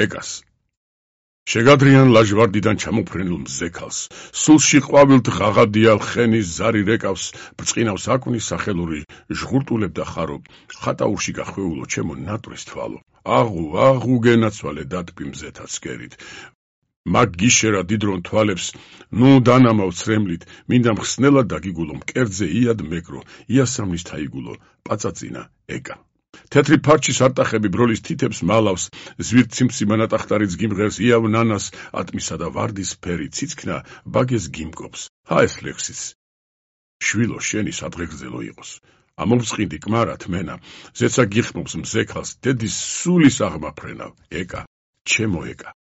ეკას. შეგადრიან ლაჟვარდიდან ჩამოფრენილ მზე ქალს, სულში ყვავილთ ღაღადიალ ხენის ზარი რეკავს, ბრწყინავს აკვნის სახელური, ჟღურტულებდა ხარო, ხატაურში გახვეულო ჩემო ნატვრის თვალო, აღუ გენაცვალე დატბი მზეთა ცკერით. მაგ გიშერა დიდრონ თვალებს, ნუ დანამავ ცრემლით, მინდა მხსნელად დაგიგულო მკერძე იად მეკრო, იასამნის თაიგულო, პაწაწინა ეკა. თეთრი ფარჩის არტახები ბროლის თითებს მალავს, ზვირთ ციმცი მანატახტარიც გიმღერს იავ ნანას, ატმისა და ვარდის ფერი ციცქნა ბაგეს გიმკობს. ეს ლექსიც. შვილო შენი სადღეგრძელო იყოს. ამოვწყინდი კმარად მენა, ზეცა გიხმობს მზე ქალს, დედის სულის აღმაფრენავ, ეკა, ჩემო ეკა.